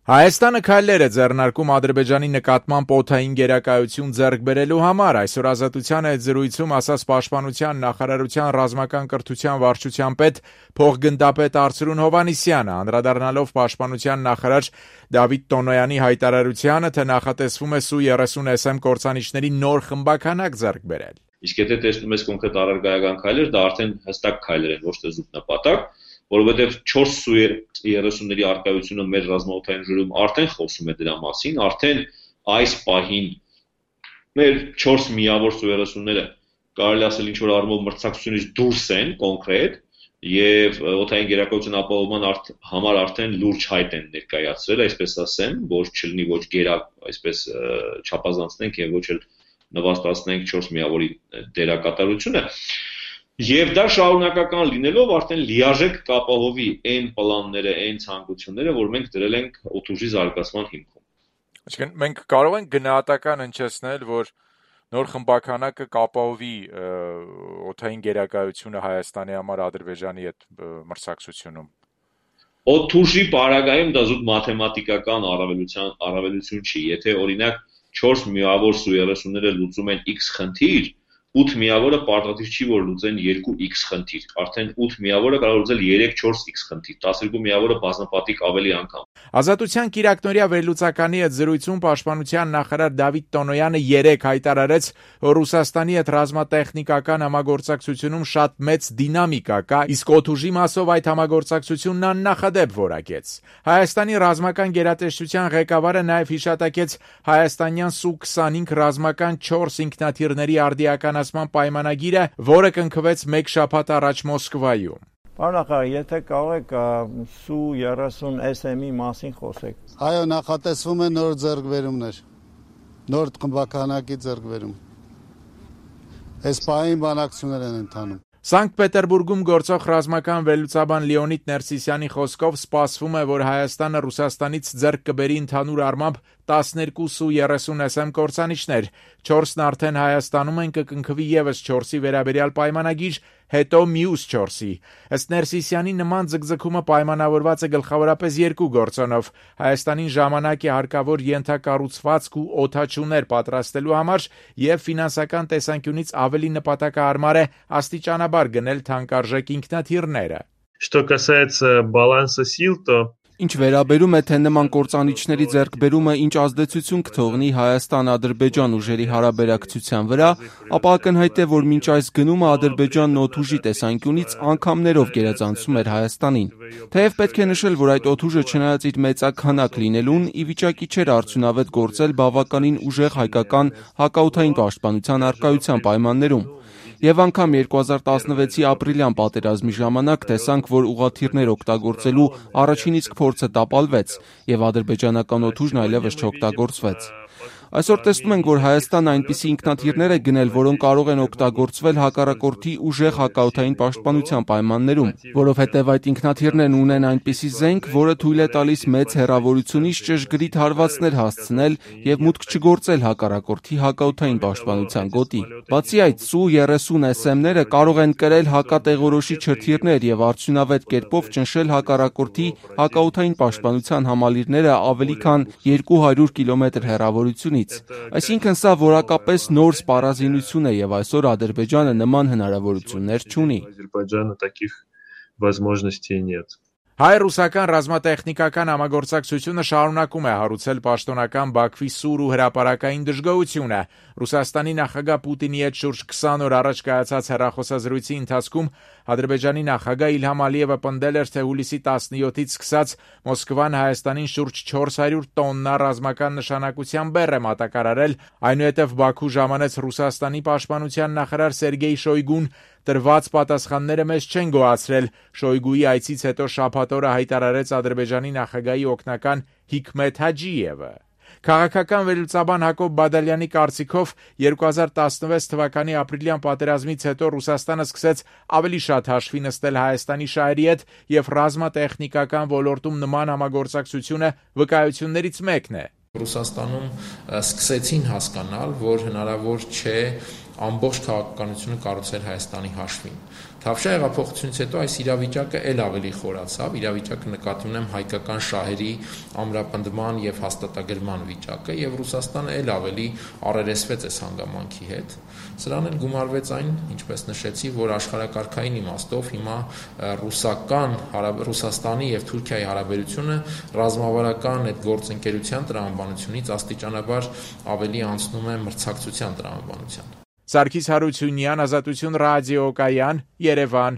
Հայաստանը քայլեր է ձեռնարկում Ադրբեջանի նկատմամբ օդային գերակայություն ձեռք բերելու համար, այսօր Ազատության հետ զրույցում ասաց Պաշտպանության նախարարության ռազմական կրթության վարչության պետ փոխգնդապետ Արծրուն Հովհաննիսյանը, անդրադառնալով Պաշտպանության նախարար Դավիթ Տոնոյանի հայտարարությանը, թե նախատեսվում է Su-30SM կործանիչների նոր խմբաքանակ ձեռք բերել։ Իսկ եթե տեսնում ես կոնկրետ առարկայական քայլեր, դա արդեն հստակ քայլեր են, ոչ թե զուտ նպատակ, որովհետև 4 Su-30-ների արկայությունը մեր ռազմաօդային ժողովում արդեն խոսում է դրա մասին, արդեն այս պահին մեր 4 միավոր Su-30-ները կարելի ասել ինչ-որ առումով մրցակցությունից դուրս են կոնկրետ եւ օդային գերակայության ապահովման համար արդեն լուրջ հայտ են ներկայացրել, այսպես ասեմ, որ չլինի ոչ գերակ, այսպես չափազանցնենք եւ ոչ էլ նվաստացնենք 4 միավորի դերակատարությունը։ Եվ դա շարունակական լինելով արդեն լիարժեք կապահովի այն պլանները, այն ցանկությունները, որ մենք դրել ենք օդուժի զարգացման հիմքում։ Այսինքն մենք կարող ենք գնահատական հնչեցնել, որ նոր խմբաքանակը կապահովի օդային գերակայությունը Հայաստանի համար Ադրբեջանի հետ մրցակցությունում։ Օդուժի պարագայում դա զուտ մաթեմատիկական առավելություն չի, եթե օրինակ 4 միավոր Su-30-ները լուծում են X խնդիր, 8 միավորը պարտադիր չի, որ լուծեն 2X խնդիր, արդեն 8 միավորը կարող լուծել 3-4X խնդիր, 12 միավորը բազմապատիկ ավելի անգամ։ Ազատության կիրակնօրյա վերլուծականի հետ զրույցում Պաշտպանության նախարար Դավիթ Տոնոյանը 3 հայտարարեց, որ Ռուսաստանի հետ ռազմատեխնիկական համագործակցությունում շատ մեծ դինամիկա կա, իսկ օդուժի մասով այդ համագործակցությունն աննախադեպ որակեց։ Հայաստանի ռազմական գերատեսչության ղեկավարը նաև հիշատակեց հայաստանյան Su-25 ռազմական 4 ինքնաթիռների արդիականացման պայմանագիրը, որը կնքվեց 1 շաբաթ առաջ Մոսկվայում։ Պարոն նախարար, եթե կարող եք Su-30SM-ի մասին խոսեք։ Այո, նախատեսվում է նոր ձեռքբերումներ, նոր խմբականակի ձեռքբերում։ Այս պահին բանակցություններ են ընթանում։ Սանկտ Պետերբուրգում գործող ռազմական վերլուծաբան Լեոնիդ Ներսիսյանի խոսքով սպասվում է, որ Հայաստանը Ռուսաստանից ձեռք կբերի ընդհանուր առմամբ 12 Su-30SM կործանիչներ, 4-ն արդեն Հայաստանում են, կկնքվի եւս 4-ի վերաբերյալ պայմանագիր, հետո մյուս 4-ի։ Ըստ Ներսիսյանի նման ձգձգումը պայմանավորված է գլխավորապես 2 գործոնով՝ Հայաստանին ժամանակ է հարկավոր ենթակառուցվածք ու օդաչուներ պատրաստելու համար եւ ֆինանսական տեսանկյունից ավելի նպատակահարմար է աստիճանաբար գնել թանկարժեք ինքնաթիռները։ Что касается баланса сил, то Ինչ վերաբերում է, թե նման կործանիչների ձեռքբերումը ինչ ազդեցություն կթողնի Հայաստան-Ադրբեջան ուժերի հարաբերակցության վրա, ապա ակնհայտ է, որ մինչ այս գնումը Ադրբեջանն օդուժի տեսանկյունից անգամներով գերազանցում էր Հայաստանին։ Թեև պետք է նշել, որ այդ օդուժը չնայած իր մեծաքանակ լինելուն, ի վիճակի չէր արդյունավետ գործել բավականին ուժեղ հայկական հակաօդային պաշտպանության առկայության պայմաններում։ Եվ անգամ 2016-ի ապրիլյան պատերազմի ժամանակ տեսանք, որ ուղղաթիռներ օգտագործելու առաջին իսկ փորձը տապալվեց, եւ ադրբեջանական օդուժն այլևս չօգտագործվեց։ Այսօր տեսնում ենք, որ Հայաստանը այնպիսի ինքնաթիռներ է գնել, որոնք կարող են օգտագործվել հակառակորդի ուժեղ հակաօդային պաշտպանության պայմաններում, որովհետև այդ ինքնաթիռներն ունեն այնպիսի զենք, որը թույլ է տալիս մեծ հեռավորությունից ճշգրիտ հարվածներ հասցնել եւ մուտք չգործել հակառակորդի հակաօդային պաշտպանության գոտի։ Բացի այդ, Su-30SM-ները կարող են կրել հակատեղորոշիչ հրթիռներ եւ արդյունավետ կերպով ճնշել հակառակորդի հակաօդային պաշտպանության համալիրները ավելի քան 200 կիլոմետր հեռավորությունից։ Այսինքն սա որակապես նոր սպառազինություն է եւ այսօր Ադրբեջանը նման հնարավորություններ չունի։ Հայ-ռուսական ռազմատեխնիկական համագործակցությունը շարունակում է հարուցել պաշտոնական Բաքվի սուր ու հրապարակային դժգոհությունը։ Ռուսաստանի նախագահ Պուտինի հետ շուրջ 20 օր առաջ կայացած հեռախոսազրույցի ընթացքում Ադրբեջանի նախագահ Իլհամ Ալիևը պնդել էր, թե հուլիսի 17-ից սկսած Մոսկվան Հայաստանին շուրջ 400 տոննա ռազմական նշանակության բեռ է մատակարարել, այնուհետև Բաքու ժամանեց Ռուսաստանի պաշտպանության նախարար Սերգեյ Շոյգուն, տրված պատասխանները մեզ չեն գոհացրել։ Շոյգուի այցից հետո շաբաթ օրը հայտարարեց Ադրբեջանի նախագահի օգնական Հիկմեթ Հաջիևը։ Քաղաքական վերլուծաբան Հակոբ Բադալյանի կարծիքով 2016 թվականի ապրիլյան պատերազմից հետո Ռուսաստանը սկսեց ավելի շատ հաշվի նստել Հայաստանի շահերի հետ եւ ռազմատեխնիկական ոլորտում նման համագործակցությունը վկայություններից մեկն է։ Ռուսաստանում սկսեցին հասկանալ, որ հնարավոր չէ ամբողջ քաղաքականությունը կառուցել Հայաստանի հաշվին։ Թավշյա հեղափոխությունից հետո այս իրավիճակը ել ավելի խորացավ, իրավիճակը նկատի ունեմ հայկական շահերի ամրապնդման եւ հաստատագրման վիճակը եւ Ռուսաստանը ել ավելի առերեսվեց այս հանգամանքի հետ։ Սրան էլ գումարվեց այն, ինչպես նշեցի, որ աշխարհակարգային իմաստով հիմա Ռուսաստանի եւ Թուրքիայի հարաբերությունը ռազմավարական այդ գործընկերության տրամաբանությունից աստիճանաբար ավելի անցնում է մրցակցության տրամաբանության։ Սարգիս Հարությունյան, Ազատություն ռադիոկայան, Երևան։